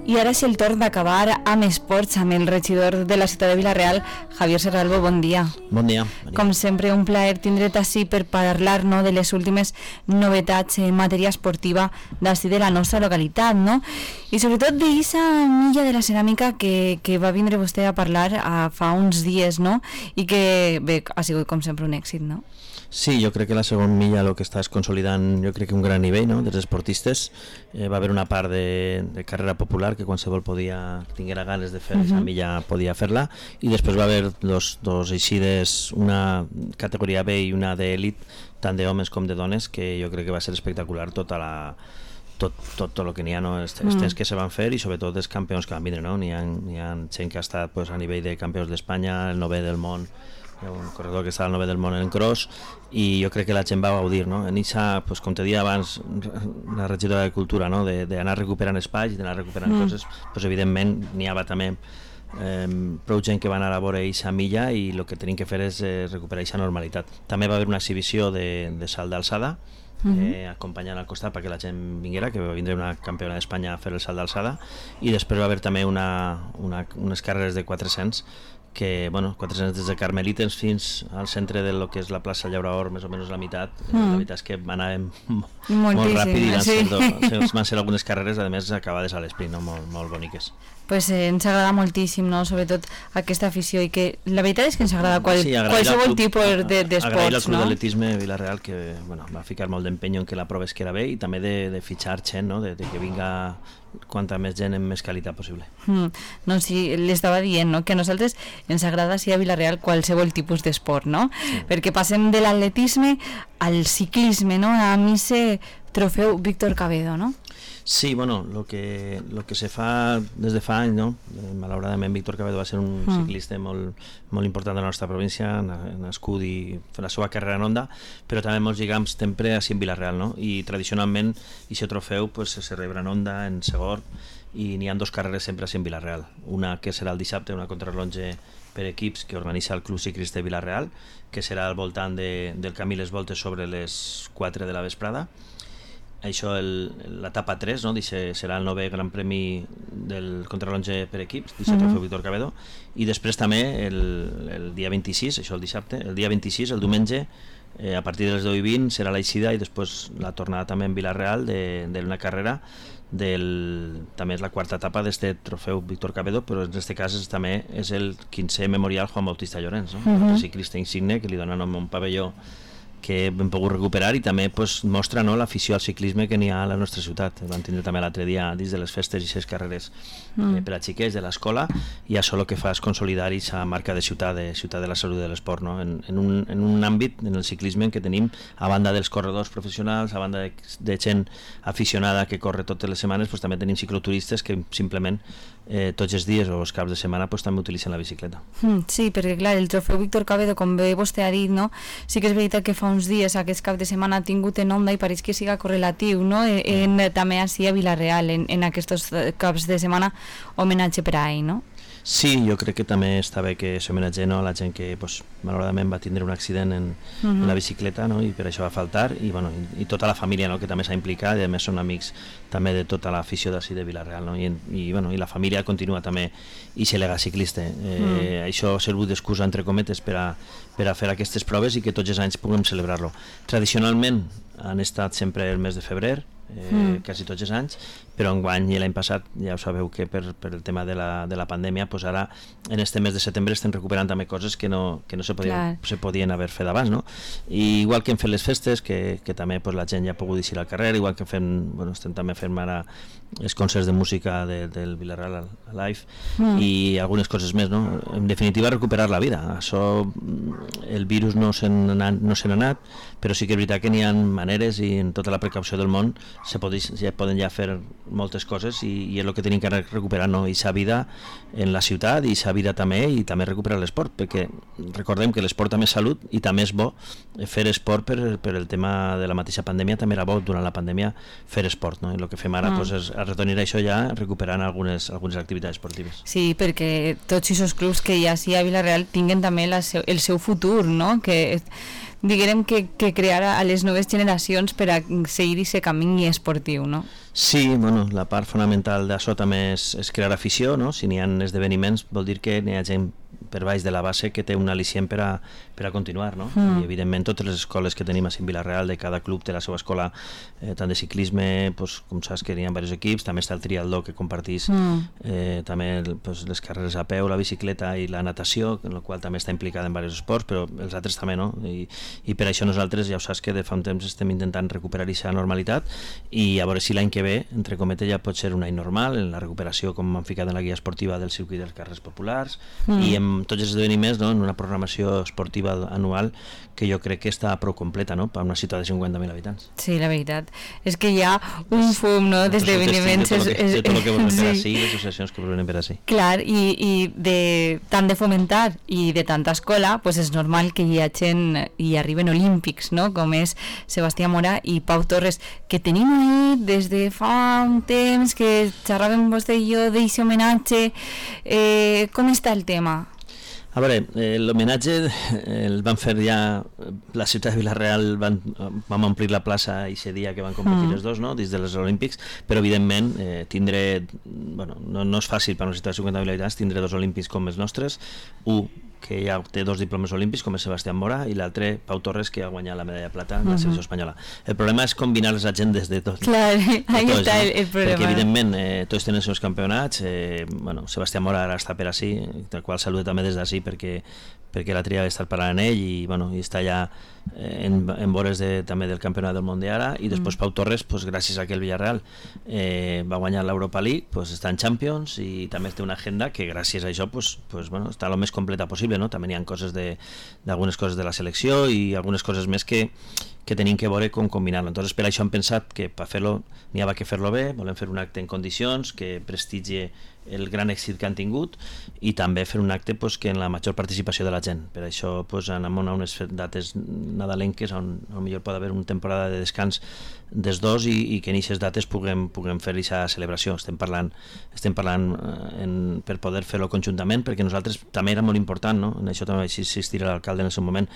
I ara és el torn d'acabar amb esports, amb el regidor de la ciutat de Vila-real, Javier Serralbo, bon dia. Bon dia. Com sempre, un plaer tindre't ací per parlar, no, de les últimes novetats en matèria esportiva d'ací de la nostra localitat, no? I sobretot d'eixa milla de la ceràmica que va vindre vostè a parlar fa uns dies, no? I que, bé, ha sigut com sempre un èxit, no? Sí, jo crec que la segona milla el que està és consolidant, jo crec que un gran nivell, no?, dels esportistes. Va haver una part de carrera popular que qualsevol tinguera ganes de fer aquesta milla podia fer-la, i després va haver dos eixides, una categoria B i una d'elit, tant d'homes com de dones, que jo crec que va ser espectacular tot el que n'hi ha, no? Els temps que se van fer, i sobretot els campions que van vindre, no? N'hi ha gent que ha estat a nivell de campions d'Espanya, el 9è del món, hi ha un corredor que està al 9è del món en cross, i jo crec que la gent va gaudir, no? En eixa, com te deia abans la regidora de Cultura, no?, d'anar recuperant espais i d'anar recuperant coses, evidentment n'hi havia també prou gent que va anar a veure eixa milla, i el que tenim que fer és recuperar eixa normalitat. També va haver una exhibició de salt d'alçada, acompanyant al costat perquè la gent vinguera, que va vindre una campiona d'Espanya a fer el salt d'alçada, i després va haver també unes carreres de 400 que, 400 des de Carmelites fins al centre de lo que és la plaça Llaurador, més o menys la meitat. La veritat és que anàvem molt ràpid, i van ser algunes carreres, a més acabades a l'esprint, no? Molt boniques. Pues ens agrada moltíssim, no?, sobretot aquesta afició, i que la veritat és que ens agrada qualsevol tipus d'esports, no? Agrair al Club d'Atletisme Vila-real, que va ficar molt d'empenyo en que la prova es queda bé, i també de fitxar gent, no?, de que vinga quanta més gent amb més qualitat possible. No, sí, l'estava dient, no?, que a nosaltres ens agrada, sí, a Vila-real qualsevol tipus d'esport, no? Sí. Perquè passem de l'atletisme al ciclisme, no?, a ese trofeu Víctor Cabedo, no? Sí, lo que se fa des de fa anys, no? Malauradament Víctor Cabedo va ser un ciclista molt important de la nostra província, nascut i fer la seva carrera en Onda, però també molts lligams sempre així en Vila-real, no? I tradicionalment aquest trofeu se celebra en Onda, en Segor, i n'hi ha 2 carreres sempre així en Vila-real. Una que serà el dissabte, una contrarrelotge per equips que organitza el Club Ciclista de Vila-real, que serà al voltant del camí Les Voltes sobre les 4 de la vesprada. Això, l'etapa 3, no? Serà el 9è Gran Premi del contrarrelotge per equips, d'aquest trofeu Víctor Cabedo, i després també el dia 26, això el dissabte, el dia 26, el diumenge, a partir de les 10:20 serà l'eixida, i després la tornada també en Vila-real d'una carrera també és la 4ª etapa d'aquest trofeu Víctor Cabedo, però en aquest cas també és el 15è memorial Juan Bautista Llorens, no? El ciclista insigne que li dona nom a un pavelló que hem pogut recuperar, i també mostra, no, l'afició al ciclisme que n'hi ha a la nostra ciutat. Vam tindre també l'altre dia dins de les festes i 6 carreres per a xiquets de l'escola, i això el que fa és consolidar aquesta marca de ciutat de la salut de l'esport, no? En un àmbit, en el ciclisme, en què tenim, a banda dels corredors professionals, a banda de gent aficionada que corre totes les setmanes, també tenim cicloturistes que simplement tots els dies o els caps de setmana també utilitzen la bicicleta. Sí, perquè clar, el trofeu Víctor Cabedo, com bé vostè ha dit, no? Sí que és veritat que fa uns dies aquest cap de setmana ha tingut en Onda, i pareix que siga correlatiu, no? També així a Vila-real, en aquests caps de setmana, homenatge per a ell, no? Sí, jo crec que també està bé que s'homenatge, no, a la gent que malauradament va tindre un accident en la bicicleta, no? I per això va faltar, i tota la família, no?, que també s'ha implicat, i a més són amics també de tota l'afició d'ací de Vila-real, no? I la família continua també aquest legat ciclista. Això ha servut d'excusa, entre cometes, per a fer aquestes proves i que tots els anys puguem celebrar-lo. Tradicionalment han estat sempre el mes de febrer, quasi tots els anys, però enguany i l'any passat ja ho sabeu que per el tema de la pandèmia, ara en este mes de setembre estem recuperant també coses que no se podien haver fet abans, no? I igual que hem fet les festes, que també la gent ja ha pogut eixir al carrer, igual que estem també fent ara els concerts de música del Vila-real Live, i algunes coses més, no? En definitiva, recuperar la vida. Això, el virus no se n'ha anat, però sí que és veritat que n'hi ha maneres, i en tota la precaució del món poden ja fer moltes coses, i és el que tenim que recuperar, no? Eixa vida en la ciutat, i eixa vida també, i també recuperar l'esport, perquè recordem que l'esport també és salut, i també és bo fer esport per el tema de la mateixa pandèmia. També era bo durant la pandèmia fer esport, no? I el que fem ara és retornar això ja recuperant algunes activitats esportives. Sí, perquè tots aquests clubs que hi ha a Vila-real tinguen també el seu futur, no? Que diguem que crear a les noves generacions per a seguir aquest camí esportiu, no? Sí, bueno, la part fonamental d'això també és crear afició, no? Si n'hi ha esdeveniments vol dir que n'hi ha gent per baix de la base que té un al·licient per a continuar, no? I evidentment totes les escoles que tenim a Vilareal, de cada club té la seva escola, tant de ciclisme, pues, com saps que n'hi ha diversos equips, també està el triatló que compartís, també pues, les carreres a peu, la bicicleta i la natació, en la qual també està implicada en diversos esports, però els altres també no, i per això nosaltres ja ho saps que de fa un temps estem intentant recuperar aquesta normalitat i a veure si l'any que ve, entre cometes, ja pot ser un any normal en la recuperació, com han ficat en la guia esportiva del circuit dels carrers populars i en tots els esdeveniments, no? En una programació esportiva anual que jo crec que està prou completa, no? Per una ciutat de 50.000 habitants. Sí, la veritat és que hi ha un fum, no? D'esdeveniments de tot el que volen per ací, les associacions que volen per ací. Clar, i tant de fomentar i de tanta escola, pues és normal que hi hagin i arriben olímpics, no? Com és Sebastià Mora i Pau Torres, que tenim ahí des de fa un temps que xerràvem vostè i jo d'aquest homenatge. Com està el tema? A veure, l'homenatge el van fer ja la ciutat de Vilareal, vam omplir la plaça aquest dia que van competir els dos, no? Dins dels Olímpics, però evidentment tindré, bueno, no és fàcil per una ciutat de 50.000 habitants tindré dos Olímpics com els nostres, un que ja té dos diplomes olímpics com és Sebastià Mora i l'altre Pau Torres, que ha guanyat la medalla de plata en la selecció espanyola. El problema és combinar les agendes de tots. Clar, ahí està el problema. Perquè evidentment tots tenen els seus campionats, bueno, Sebastià Mora ara està per ací, del qual saludo també des d'ací perquè la tria ha estat parlant amb ell i, bueno, i està ja en vores també del campionat del món d'ara i després Pau Torres, pues, gràcies a que el Villarreal va guanyar l'Europa League, pues, està en Champions i també té una agenda que gràcies a això pues, bueno, està el més completa possible, no? També hi ha coses d'algunes coses de la selecció i algunes coses més que tenim que veure com combinar-lo. Entonces per això hem pensat que per fer-lo n'hi havia que fer-lo bé, volem fer un acte en condicions que prestigie el gran èxit que han tingut i també fer un acte pues, que en la major participació de la gent. Per això pues, anem a unes dates nadalenques on potser pot haver una temporada de descans dels dos i que en aquestes dates puguem fer aquesta celebració. Estem parlant per poder fer-lo conjuntament perquè nosaltres també era molt important, no? En això també insistirà l'alcalde en el seu moment,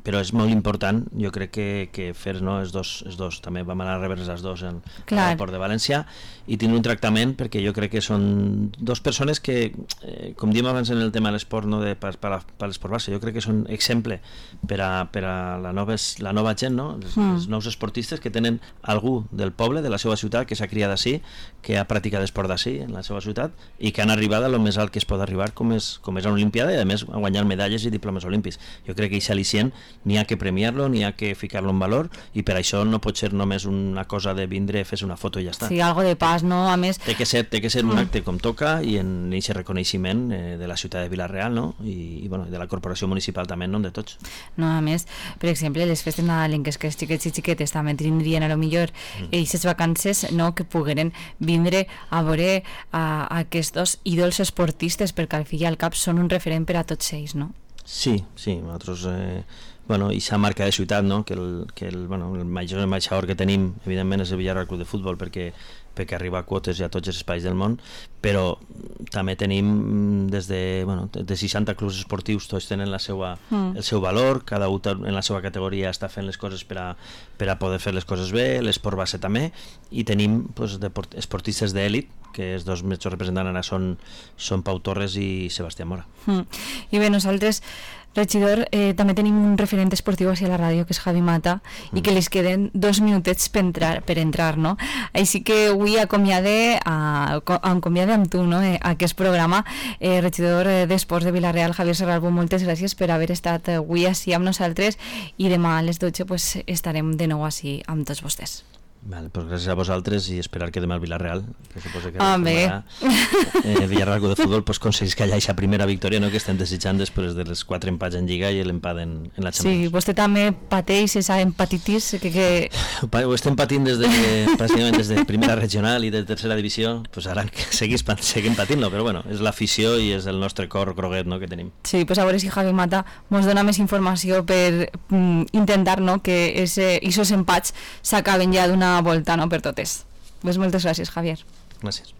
però és molt important, jo crec que fer els dos, també vam anar a rebre els dos en l'aeroport de València i tenir un tractament perquè jo crec que són dues persones que, com diem abans en el tema de l'esport, no, per l'esport base, jo crec que són exemple per a la nova gent, no? Els nous esportistes que tenen algú del poble, de la seva ciutat, que s'ha criat d'ací, que ha practicat esport d'ací en la seva ciutat i que han arribat a lo més alt que es pot arribar com és a una olimpiada i a més a guanyar medalles i diplomes olímpics. Jo crec que aquest al·licient n'hi ha que premiar-lo, n'hi ha que ficar-lo en valor i per això no pot ser només una cosa de vindre, fer una foto i ja està. Sí, algo de pas, no? A més... Té que ser un acte com toca i en aquest reconeixement de la ciutat de Vilareal, no? I bueno, de la corporació municipal també en nom de tots. No, a més, per exemple, les festes nadalenques que els xiquets i xiquetes també tindrien a lo millor aquestes vacances, no?, que pogueren vindre a veure aquests dos ídols esportistes perquè al fi i al cap són un referent per a tots ells, no? Sí, nosaltres... Bueno, i s'ha marca de ciutat, no? Que el major ambaixador que tenim evidentment és el Villarreal Club de Futbol perquè arriba a quotes i a tots els espais del món, però també tenim des de 60 clubs esportius, tots tenen el seu valor, cada un en la seva categoria està fent les coses per a poder fer les coses bé, l'esport base també, i tenim esportistes d'èlit, que els dos més representants ara són Pau Torres i Sebastià Mora. I bé, nosaltres, regidor, també tenim un referent esportiu a la ràdio, que és Javi Mata, i que li queden 2 minutets per entrar, no? Així que avui acomiade amb tu, no?, aquest programa. Regidor d'Esports de Vilareal, Javier Serralbo, moltes gràcies per haver estat avui així amb nosaltres i demà a les 12 pues, estarem de nou així amb tots vostès. Vale, pues gràcies a vosaltres i esperar que demà el Villarreal, que suposo que el Villarreal Club de Futbol pues, aconseguís que hi hagi aquesta primera victòria, no?, que estem desitjant després dels 4 empats en Lliga i l'empat en la Champions. Sí, vostè també pateix esa empatitis que... Ho estem patint pràcticament des de primera regional i de tercera divisió, pues ara seguim patint-lo, però bueno, és l'afició i és el nostre cor groguet, no?, que tenim. Sí, pues a veure si Javi Mata ens dona més informació per intentar, no?, que esos empats s'acaben ja d'una volta, no?, per totes. Pues moltes gràcies, Javier. Gràcies.